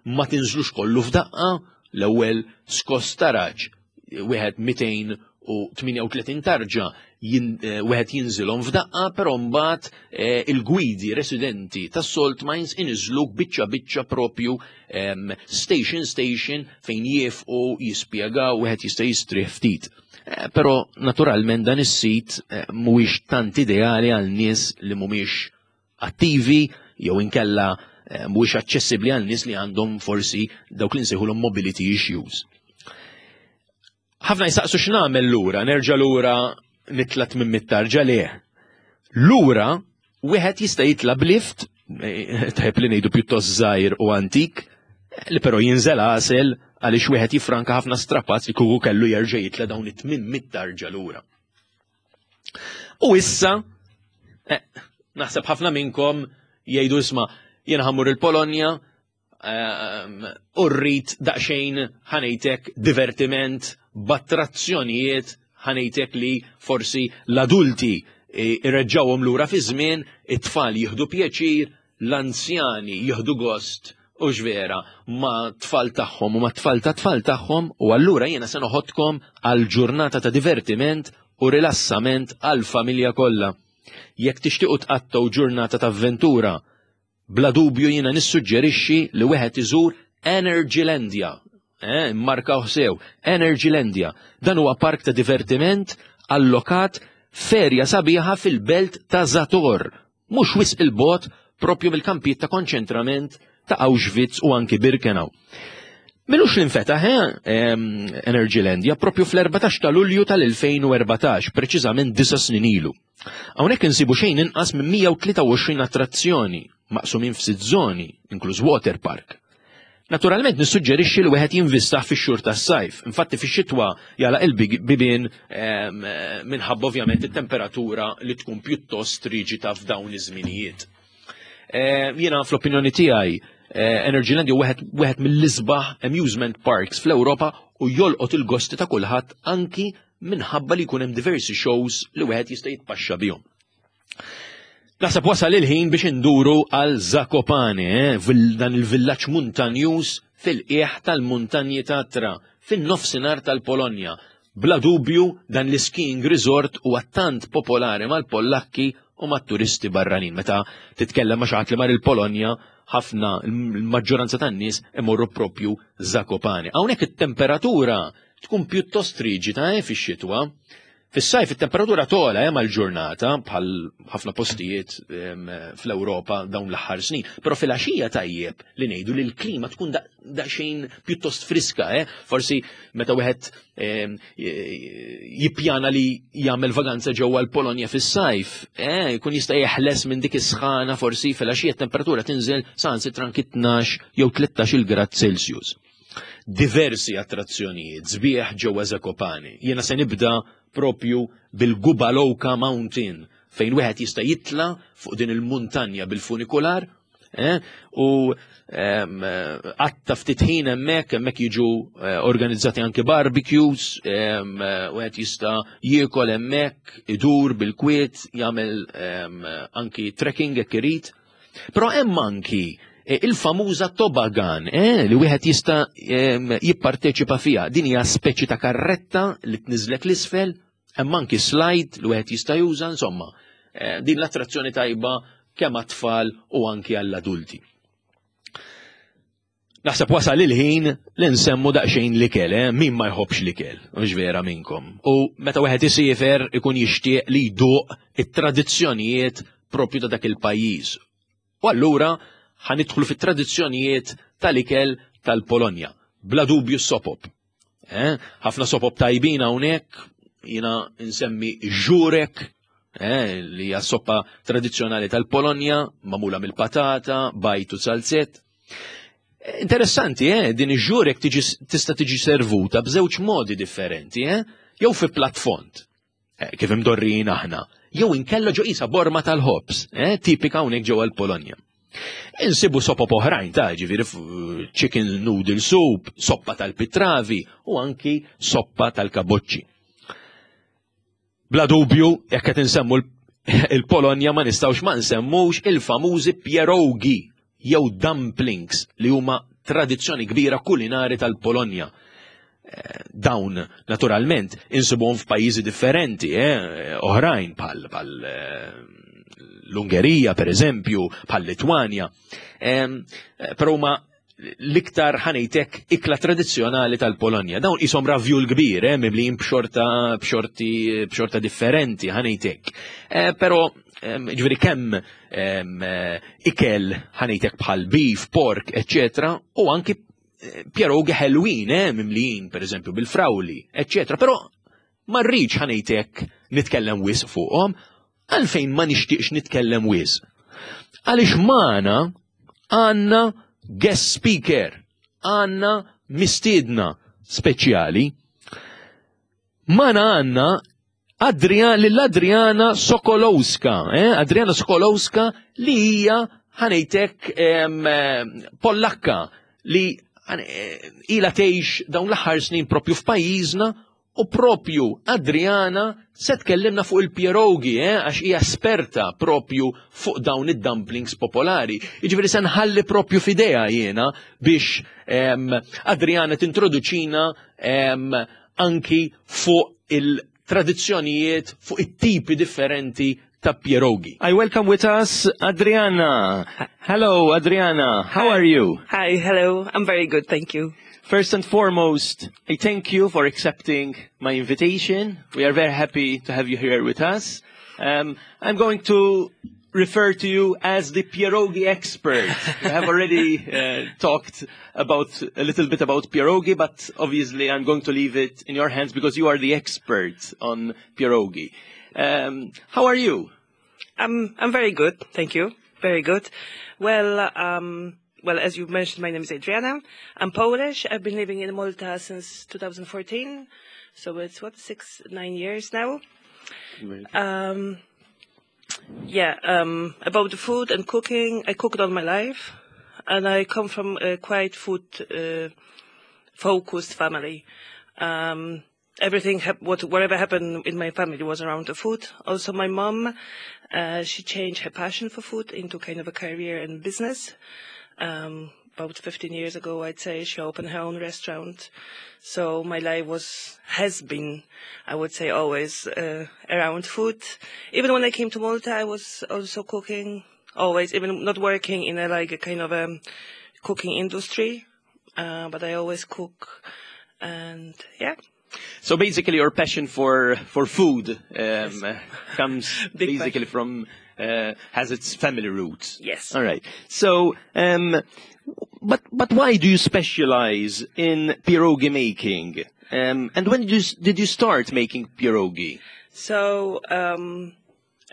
ma tinżlux kollu f'daqqa, l-ewwel skoss taraġ wieħed 238 tarġa eh, wieħed jinżilhom f'daqqa, però mbagħad eh, il-gwidi residenti tas-salt mines iniżluk biċċa biċċa propju ehm, station station fejn jifqu jispjegaw wieħed jista' jistrieħ ftit. Eh, però naturalment dan is-sit mhuwiex tant ideali għal nies li mhumiex attivi jew inkella eh, mhuwiex aċċessibbli għal nies li għandhom forsi dawk li nsejħulhom mobility issues. Ħafna jistaqsu x'nagħmel lura, nerġa' lura nitla' minn mittarġa le. Lura wieħed jista' jitla' b'lift, eh, tajb li ngħidu pjuttost żgħir u antik, li però jinżel għasel għaliex wieħed jifranka ħafna strapazz li kuku kellu jerġa' jitla' dawn it-tmien mittarġa lura. U issa, eh, naħseb ħafna minnkom jgħidu isma' jiena ħammur il-Polonja ehm, u rrid daqsxejn ħanejtek divertiment b'attrazzjonijiet ħanejtek li forsi l-adulti eh, irreġġawhom lura fi żmien, it-tfal jieħdu pjaċir, l-anzjani jieħdu gost u vera ma' tfal tagħhom u ma' tfal ta' tfal tagħhom u allura jiena se noħodkom għal ġurnata ta' divertiment u rilassament għal familja kollha. Jekk tixtiequ tqattgħu ġurnata ta' avventura, bla dubju jiena nissuġġerixxi li wieħed iżur Energylandia. Eh, markaw sew, Energylandia. Dan huwa park ta' divertiment allokat ferja sabiħa fil-belt ta' Zator, mhux wisq 'il bogħod proprju mill-kampijiet ta' konċentrament ta' Auschwitz u anki Birkenau. Milux li nfetaħ eh, Energylandia propju fl-14 ta' Lulju tal-2014, preċiżament disa snin ilu. Hawnhekk insibu xejn inqas minn 123 attrazzjoni maqsumin f'sitt żoni, inkluż water park. Naturalment nissuġġerixxi li wieħed jinvistah fix-xhur tas-sajf. Infatti fix-xitwa jagħlaq il-bibien minħabba ovvjament it-temperatura li tkun pjuttost riġita f'dawn iż-żminijiet. Jiena fl-opinjoni tiegħi eh, Energyland jew wieħed mill-isbaħ amusement parks fl-Ewropa u jolqot il-gosti ta' kulħadd anki minħabba li jkun hemm diversi shows li wieħed jista' jitpaxxa bihom. Naħseb wasal il-ħin biex induru għal Zakopane, eh, dan il-villaġġ muntanjuż fil-qiegħ tal-muntanji Tatra, fin-nofsinhar tal-Polonja. Bla dubju dan l-skiing resort huwa tant popolari mal-Pollakki u mat-turisti barranin. Meta titkellem ma' xi ħadd li mar il-Polonja, ħafna l-maġġoranza tan-nies imorru propju Zakopane. Hawnhekk it-temperatura tkun pjuttost riġida eh, fix-xitwa. Fis-sajf it-temperatura togħla hemm mal-ġurnata bħal ħafna postijiet fl-Ewropa dawn l-aħħar snin, però fil-għaxija tajjeb li ngħidu li l-klima tkun daqsxejn pjuttost friska, eh? Forsi meta wieħed jippjana li jagħmel vaganza ġewwa l-Polonja fis-sajf, eh, jkun jista' jeħles minn dik is-sħana forsi fil-għaxija t-temperatura tinżel saħansitra anki 12 jew 13 il grad Celsius. Diversi attrazzjonijiet sbieħ ġewwa Zakopane. Jiena se nibda propju bil-Gubalowka Mountain fejn wieħed jista' jitla fuq din il-muntanja bil-funikular eh, u għatta ftit ħin hemmhekk, hemmhekk jiġu eh, organizzati anke barbecues, wieħed jista' jiekol hemmhekk, idur bil-kwiet, jagħmel anki trekking jekk irid. Però hemm anki eh, il-famuża tobagan eh, li wieħed jista' jipparteċipa fiha. Din hija speċi ta' karretta li tniżlek l-isfel, hemm anki slide li wieħed jista' juża, insomma. Eh, din l-attrazzjoni tajba kemm għat-tfal u anki għall-adulti. Naħseb wasal il-ħin li nsemmu daqsxejn l-ikel, eh? Min ma jħobbx l-ikel, mhux vera minnkom. U meta wieħed isiefer ikun jixtieq li jduq it-tradizzjonijiet propju ta' dak il-pajjiż. U allura ħanidħlu fit-tradizzjonijiet tal-ikel tal-Polonja. Bla dubju s-sopop. Eh? Ħafna sopop tajbin hawnhekk, jiena nsemmi żurek, eh, li hija soppa tradizzjonali tal-Polonja, magħmula mill-patata, bajd u zalzett. Interessanti, eh, din iż-żurek tista' tiġi servuta b'żewġ modi differenti, eh? Jew fi platt fond, eh, kif imdorrijin aħna, jew inkella ġo qisha borma tal-ħobż, eh, tipika hawnhekk ġewwa l-Polonja. Insibu sopop oħrajn ta' ġifieri chicken noodle soup, soppa tal-pitravi u anki soppa tal-kaboċċi. Bla dubju, jekk qed insemmu il-Polonja ma nistgħux ma nsemmux il-famużi pierogi jew dumplings li huma tradizzjoni kbira kulinari tal-Polonja. Eh, dawn naturalment insibuhom f'pajjiżi differenti, eh, oħrajn bħal bħal eh, l-Ungerija per eżempju, bħal Litwanja. Eh, però huma l-iktar ħanejtek ikla tradizzjonali tal-Polonja. Dawn isom ravjul kbir, eh, mimlijin b'xorta b'xorti b'xorta differenti ħanejtek. Eh, però ġifieri kemm eh, ikel ħanejtek bħal beef, pork, eccetera, u anki eh, pierogi ħelwin, eh, mimlijin per eżempju bil-frawli, eccetera. Però ma rridx ħanejtek nitkellem wisq fuqhom, għalfejn ma nixtieqx nitkellem wisq. Għaliex magħna għandna guest speaker, għandna mistiedna speċjali. Magħna għandna Adrian, lill-Adriana Sokolowska, eh? Adriana Sokolowska li hija ħanejtek Pollakka li eh, ila tgħix dawn l-aħħar snin propju f'pajjiżna u propju Adriana se tkellimna fuq il-pierogi, eh, għax hija esperta propju fuq dawn id-dumplings popolari. Jiġifieri se nħalli propju f'idea jiena biex Adriana tintroduċina anki fuq il-tradizzjonijiet, fuq it-tipi differenti ta' pierogi. I welcome with us Adriana. Hello, Adriana. How are you? Hi, hello. I'm very good, thank you. First and foremost, I thank you for accepting my invitation. We are very happy to have you here with us. I'm going to refer to you as the pierogi expert. We have already talked about a little bit about pierogi, but obviously I'm going to leave it in your hands because you are the expert on pierogi. How are you? I'm very good, thank you. Very good. Well, Well, as you mentioned, my name is Adriana. I'm Polish. I've been living in Malta since 2014. So it's, what, 6, 9 years now. Yeah, about the food and cooking, I cooked all my life. And I come from a quite food focused family. Everything, whatever happened in my family was around the food. Also, my mom, she changed her passion for food into kind of a career and business. About 15 years ago, I'd say, she opened her own restaurant. So my life has been, I would say, always around food. Even when I came to Malta, I was also cooking, always, even not working in a like a kind of a cooking industry, but I always cook, and yeah. So basically, your passion for food comes Big basically passion. from has its family roots. Yes. All right. So, but why do you specialize in pierogi making? And when did you start making pierogi? So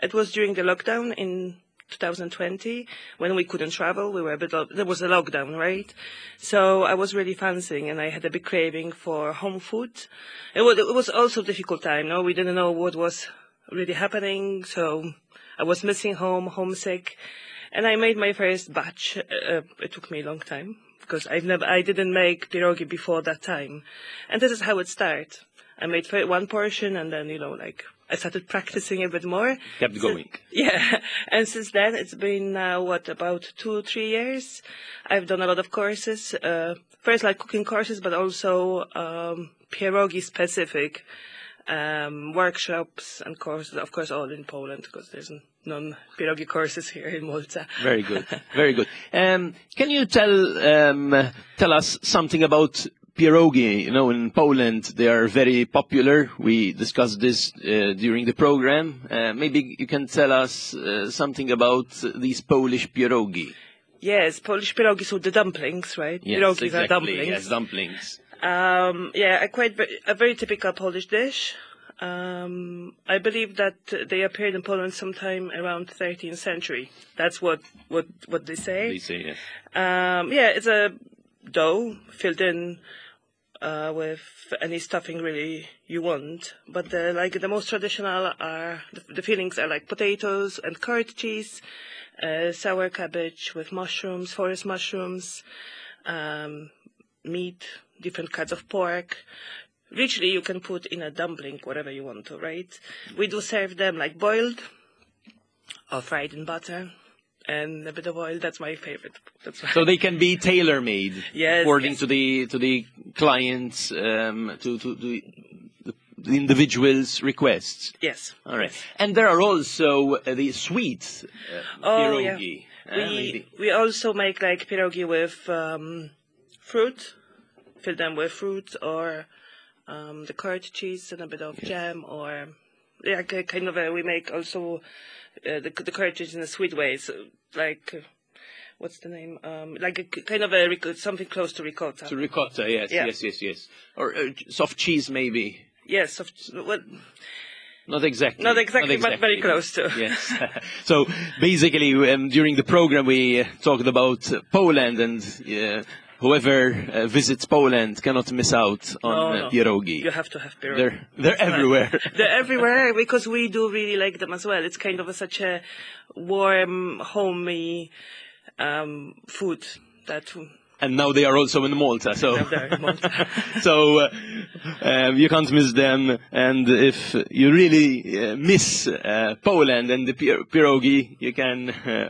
it was during the lockdown in 2020 when we couldn't travel. We were a bit of, there was a lockdown, right? So I was really fancying and I had a big craving for home food. It was also a difficult time, no? We didn't know what was really happening, so I was missing home, homesick. And I made my first batch. It took me a long time because I didn't make pierogi before that time. And this is how it started. I made one portion and then, like, I started practicing a bit more. Kept going. Yeah. And since then, it's been now, what, about 2, 3 years. I've done a lot of courses. First, like cooking courses, but also pierogi specific workshops and courses, of course, all in Poland, because there's none pierogi courses here in Malta. Very good. Very good. Can you tell us something about pierogi? In Poland they are very popular. We discussed this during the program. Maybe you can tell us something about these Polish pierogi. Yes, Polish pierogi, so the dumplings, right? Yes, Pierogis exactly. are dumplings. Yes, dumplings. Yeah, a very typical Polish dish. I believe that they appeared in Poland sometime around 13th century. That's what they say. They say, yes. Yeah, it's a dough filled in with any stuffing really you want. But like the most traditional are the fillings are like potatoes and curd cheese, sour cabbage with mushrooms, forest mushrooms, meat, different kinds of pork. Literally, you can put in a dumpling whatever you want to, right? We do serve them like boiled or fried in butter and a bit of oil. That's my favorite. That's my So they can be tailor-made according to the clients, to the individual's requests. Yes. All right. And there are also the sweet Oh, yeah. pierogi. We Maybe. we also make like pierogi with fruit, fill them with fruit or the curd cheese and a bit of jam or yeah, kind of a, we make also the curd cheese in a sweet way, so like what's the name? Like a kind of a something close to ricotta. To ricotta, yes, yes. Or soft cheese, maybe. Yes, soft, well, Not exactly. Not exactly, but very close to. Yes. So basically, during the program, we talked about Poland, and whoever visits Poland cannot miss out on No, no. pierogi. You have to have pierogi. They're everywhere. They're everywhere because we do really like them as well. It's kind of such a warm, homey food that And now they are also in Malta. So Now they're in Malta. So you can't miss them. And if you really miss Poland and the pierogi, you can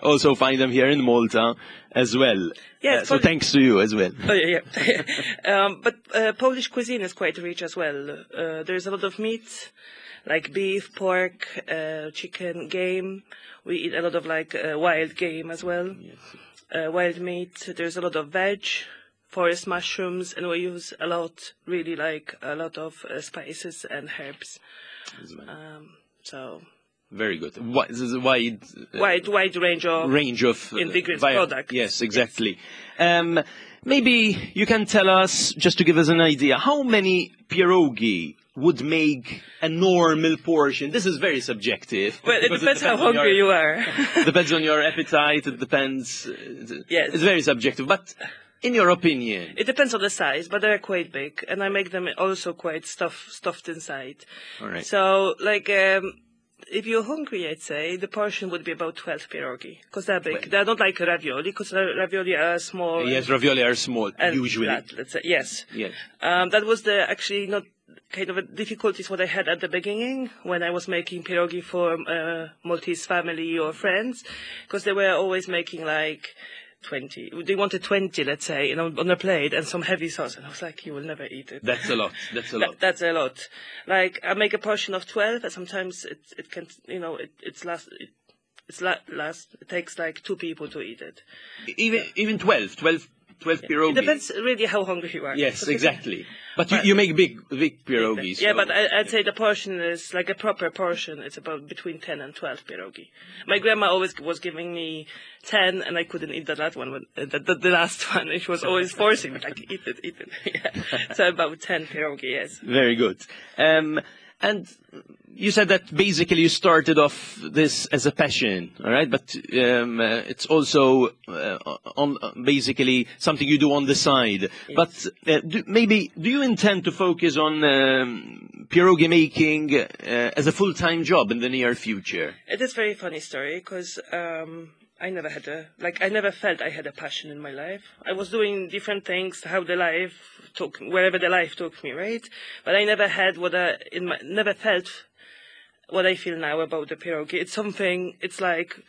also find them here in Malta as well. Yes, So thanks to you as well. Oh, yeah. But Polish cuisine is quite rich as well. There's a lot of meat, like beef, pork, chicken, game. We eat a lot of like wild game as well. Wild meat. There's a lot of veg, forest mushrooms, and we use a lot, really like a lot of spices and herbs. So Very good. This is a wide, wide range of range of ingredients, products. Yes, exactly. Yes. Maybe you can tell us, just to give us an idea, how many pierogi would make a normal portion? This is very subjective. Well, it depends how hungry you are. Depends on your appetite. It depends. Yes. It's very subjective. But in your opinion? It depends on the size, but they're quite big. And I make them also quite stuffed inside. All right. So, if you're hungry, I'd say the portion would be about 12 pierogi, because they're big. They're not like ravioli, because ravioli are small. Yes, ravioli are small, usually. Flat, let's say, yes. Yes. That was the actually not kind of a difficulties what I had at the beginning when I was making pierogi for Maltese family or friends, because they were always making like 20. They wanted 20, let's say, on a plate and some heavy sauce. And I was like, you will never eat it. That's a lot. That's a lot. That's a lot. Like, I make a portion of 12, and sometimes it can, you know, it, it's last, it, it's last, it takes like 2 people to eat it. Even 12 pierogi. It depends really how hungry you are. Yes, exactly. But you make big pierogi. Yeah, but I'd say the portion is like a proper portion. It's about between 10 and 12 pierogi. My grandma always was giving me 10, and I couldn't eat the last one. The last one, she was always forcing me, like, eat it, eat it. Yeah. So about 10 pierogi, yes. Very good. And you said that basically you started off this as a passion, all right? But it's also on basically something you do on the side. Yes. But maybe do you intend to focus on pierogi making as a full-time job in the near future? It is a very funny story because I never had a, like, I never felt I had a passion in my life. I was doing different things, how the life took, wherever the life took me, right? But I never had what I, in my, never felt what I feel now about the pierogi. It's something, it's like,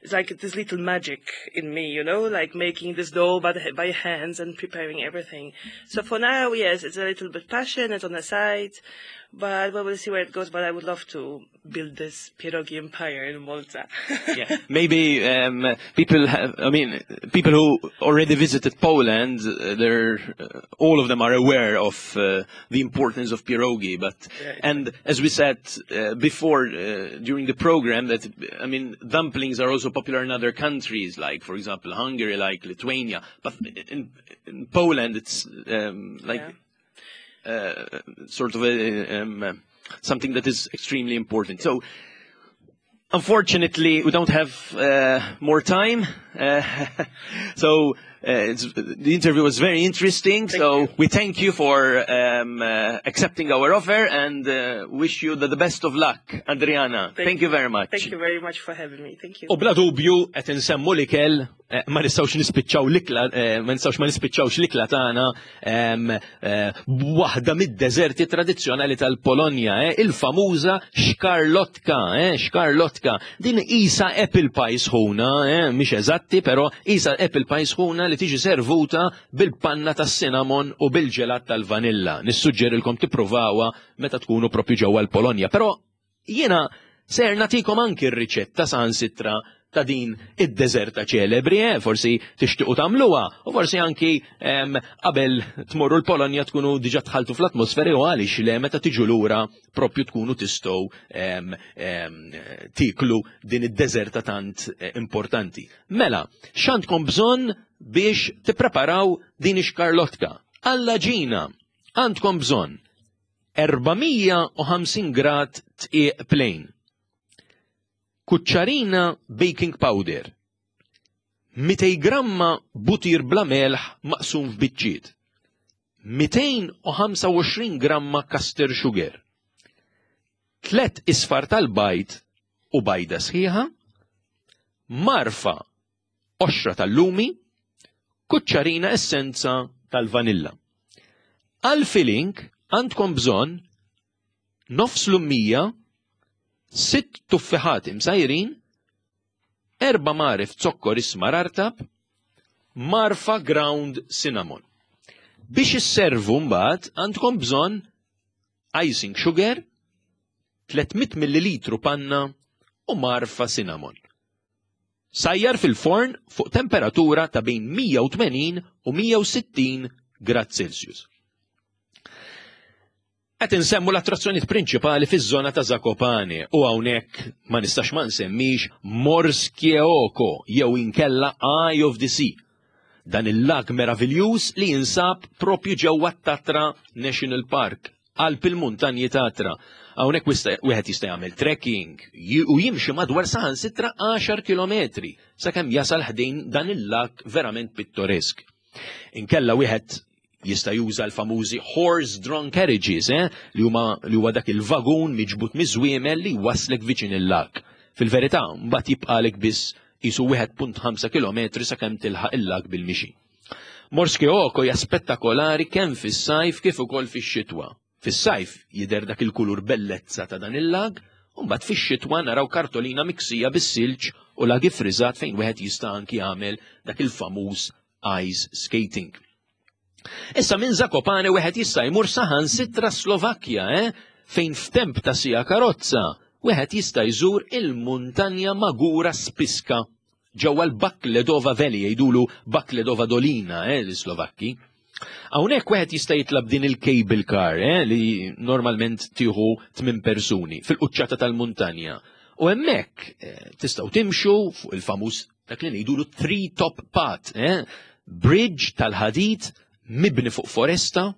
it's like this little magic in me, you know, like making this dough by hands and preparing everything. So for now, yes, it's a little bit passion, it's on the side, but we will see where it goes. But I would love to build this pierogi empire in Malta. Yeah, maybe people have, I mean, people who already visited Poland, they're all of them are aware of the importance of pierogi. But yeah, and as we said before during the program, that I mean, dumplings are also popular in other countries, like for example Hungary, like Lithuania. But in Poland, it's like. Yeah. Sort of a, something that is extremely important. So, unfortunately, we don't have more time. So, the interview was very interesting. Thank so, you. We thank you for accepting our offer and wish you the best of luck, Adriana. Thank you very much. Thank you very much for having me. Thank you. U bla dubju qed insemmu l-ikel, ma nistgħux nispiċċaw l-ikla, ma nistgħux ma nispiċċawx l-ikla tagħna b'waħda mid-deżerti tradizzjonali tal-Polonja, il-famuża xkarlotka, xkarlotka. Din isa apple pie sħuna, mhix eżatti, però isa apple pie sħuna li tiġi servuta bil-panna tas-cinnamon u bil-ġelat tal-vanilla. Nissuġġerilkom tippruvawha meta tkunu propju ġewwa l-Polonja. Però jiena ser nagħtikom anki r-riċetta saħansitra ta' din id-deżerta ċelebri, forsi tixtiequ tagħmluha, u forsi anki qabel tmorru l-Polonja tkunu diġà tħaltu fl-atmosferi u għaliex le meta tiġu lura propju tkunu tistgħu tiklu din id-deżerta tant importanti. Mela, x'għandkom bżonn biex tippreparaw din ix-xkarlotka? Għall-għaġina għandkom bżonn 450 grad tqiq plain, kuċċarina baking powder, 200 gramma butir bla melħ maqsum f'biċċiet, 225 gramma caster sugar, 3 isfar tal-bajd u bajda sħiħa, marfa qoxra tal-lumi, kuċċarina essenza tal-vanilla. Għal-filling għandkom bżonn nofs lumija, 6 tuffiħat imsajrin, 4 marif zokkor ismar artab, marfa ground cinnamon. Biex isservu mbagħad għandkom bżonn icing sugar, 300 millilitru panna u marfa cinnamon. Sajjar fil-forn fuq temperatura ta' bejn 180 u 160 grad Celsius. Qed insemmu l-attrazzjonijiet prinċipali fiż-żona ta' Zakopane u hawnhekk ma nistax ma nsemmix Morskie Oko jew inkella Eye of the Sea. Dan il-lag meraviljuż li jinsab propju ġewwa t-Tatra National Park, qalb il-muntanji Tatra. Hawnhekk wieħed jista' jagħmel trekking u jimxi madwar saħansitra 10 kilometri sakemm jasal ħdejn dan il-lag verament pittoresk. Inkella wieħed jista' juża l-famużi horse-drawn carriages, eh, li huma li huwa dak il-vagun miġbut miż-żwiemel li jwasslek viċin il-lag. Fil-verità, mbagħad jibqalek biss qisu 1.5 km sakemm tilħaq il-lag bil-mixi. Morske Oko hija spettakolari kemm fis-sajf kif ukoll fix-xitwa. Fis-sajf jidher dak il-kulur bellezza ta' dan il-lag, u mbagħad fix-xitwa naraw kartolina miksija bis-silġ u lag iffriżat fejn wieħed jista' anki jagħmel dak il-famuż ice skating. Issa minn Zakopane wieħed jista' jmur saħansitra Slovakkja, eh? fejn f'temp ta' sija karozza wieħed jista' jżur il-muntanja Magura Spiska ġewwa l-Bakledova Valley jgħidulu Bakledova Dolina, eh, l-Slovakki. Hawnhekk wieħed jista' jitlab din il-cable car eh, li normalment tieħu tmien persuni fil-quċċata tal-muntanja. U hemmhekk eh, tistgħu timxu fuq il-famuż dak li ngħidulu tree top path, eh, bridge tal-ħadid mibni fuq foresta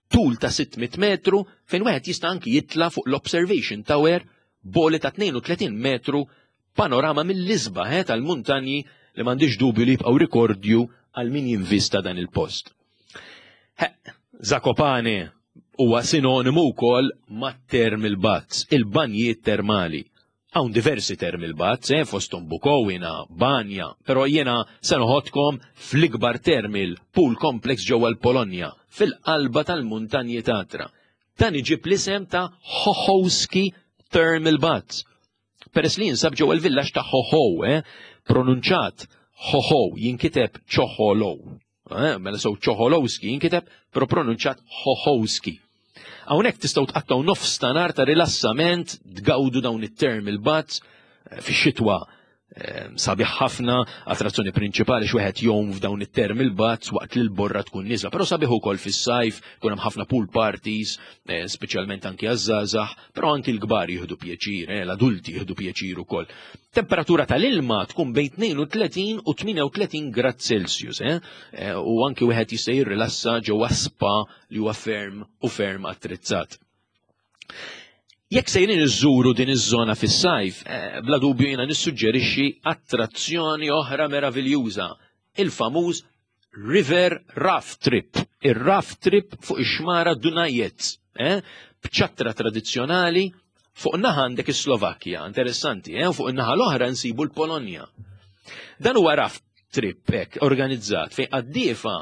tul ta' 600 metru fejn wieħed jista' anki jitla' fuq l-observation tower boli ta' 32 metru Panorama mill-isbaħ eh, tal-muntanji li m'għandix dubju li jibqgħu rikordju għal min jinvista dan il-post. Zakopane huwa sinonimu wkoll mat-thermal baths, il-banjiet termali. Hawn diversi thermal baths, eh, fosthom Bukowina, Banja, però jiena se noħodkom fl-ikbar thermal pool complex ġewwa l-Polonja, fil-qalba tal-muntanji Tatra. Dan iġib l-isem ta' Hohowski Thermal Baths. Peress li jinsab ġewwa l-villaġġ ta' Hoho, eh, pronunċat Hoho, jinkiteb Ċoħolow. Eh, mela sew Ċoħolowski jinkiteb, però pronunċat Hohowski. Hawnhekk tistgħu tqattgħu nofs ta' nar ta' rilassament, tgawdu dawn it-term il-baths eh, fix-xitwa sabiħ ħafna, attrazzjoni prinċipali x'wieħed jgħum f'dawn it-term il-baths waqt li l-borra tkun nieżla, però sabiħ ukoll fis-sajf, kun hemm ħafna pool parties, eh, speċjalment anki għaż-żgħażagħ, però anki l-kbar jieħdu pjaċir, eh, l-adulti jieħdu pjaċir ukoll. Temperatura tal-ilma tkun bejn 32 u 38 grad Celsius, eh, eh, u anki wieħed jista' jirrilassa ġewwa spa li huwa ferm u ferm attrezzat. Jekk sejrin iżżuru din iż-żona fis-sajf, eh, bla dubju jiena nissuġġerixxi attrazzjoni oħra meraviljuża, il-famuż River Raft Trip, ir-raft trip fuq ix-xmara Dunajec, eh? b'ċattra tradizzjonali fuq naħa għandek is-Slovakkja, interessanti, eh? fuq in-naħa l-oħra nsibu l-Polonja. Dan huwa raft trip hekk organizzat fejn qaddiefa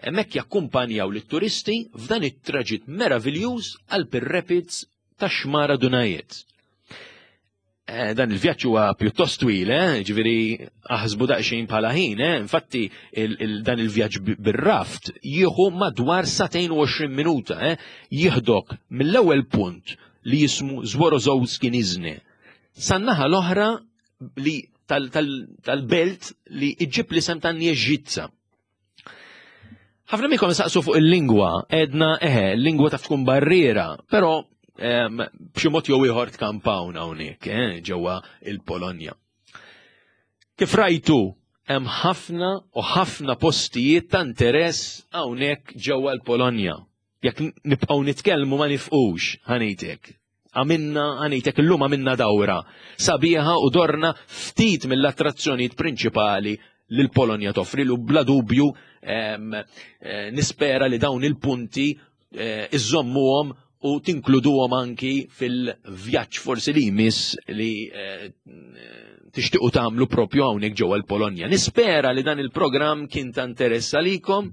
hemmhekk jakkumpanjaw lit-turisti f'dan it-traġitt meraviljuż għal Rapids tax-xmara Dunajec. Eh, dan il-vjaġġ huwa pjuttost twil, eh? ġifieri aħsbu daqsxejn bħala ħin, eh? infatti il, dan il-vjaġġ bir-raft jieħu madwar 220 minuta, eh? jieħdok mill-ewwel punt li jismu Zworozowski Nizhny. San-naħa l-oħra li tal-belt li iġib l-isem ta' Nieżitsa. Ħafna minnkom saqsu fuq il-lingwa, edna eħe, l-lingwa taf tkun barriera, però b'xi mod jew ieħor tkampawna hawnhekk eh, ġewwa il-Polonja. Kif rajtu, hemm ħafna u ħafna postijiet ta' interess hawnhekk ġewwa l-Polonja. Jekk nibqgħu nitkellmu ma nifqux, ħanejtek. Għamilna, ħanejtek illum għamilna dawra sabiħa u dorna ftit mill-attrazzjonijiet prinċipali li l-Polonja toffri lu bla dubju eh, nispera li dawn il-punti eh, iżommuhom u tinkluduhom anki fil-vjaġġ forsi li jmiss li eh, tixtiequ tagħmlu propju hawnhekk ġewwa l-Polonja. Nispera li dan il-programm kien ta' interess għalikom.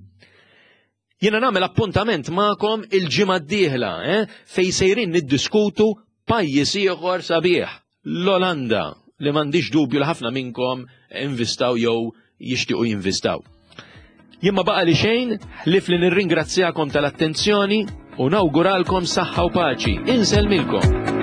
Jiena nagħmel appuntament magħkom il-ġimgħa d-dieħla, eh, fejn sejrin niddiskutu pajjiż ieħor sabiħ, l-Olanda, li m'għandix dubju li ħafna minnkom invistaw jew jixtiequ jinvistaw. Jien ma baqa li xejn, ħlief li nirringrazzjakom tal-attenzjoni u nawguralkom saħħa u paċi. Insellmilkom.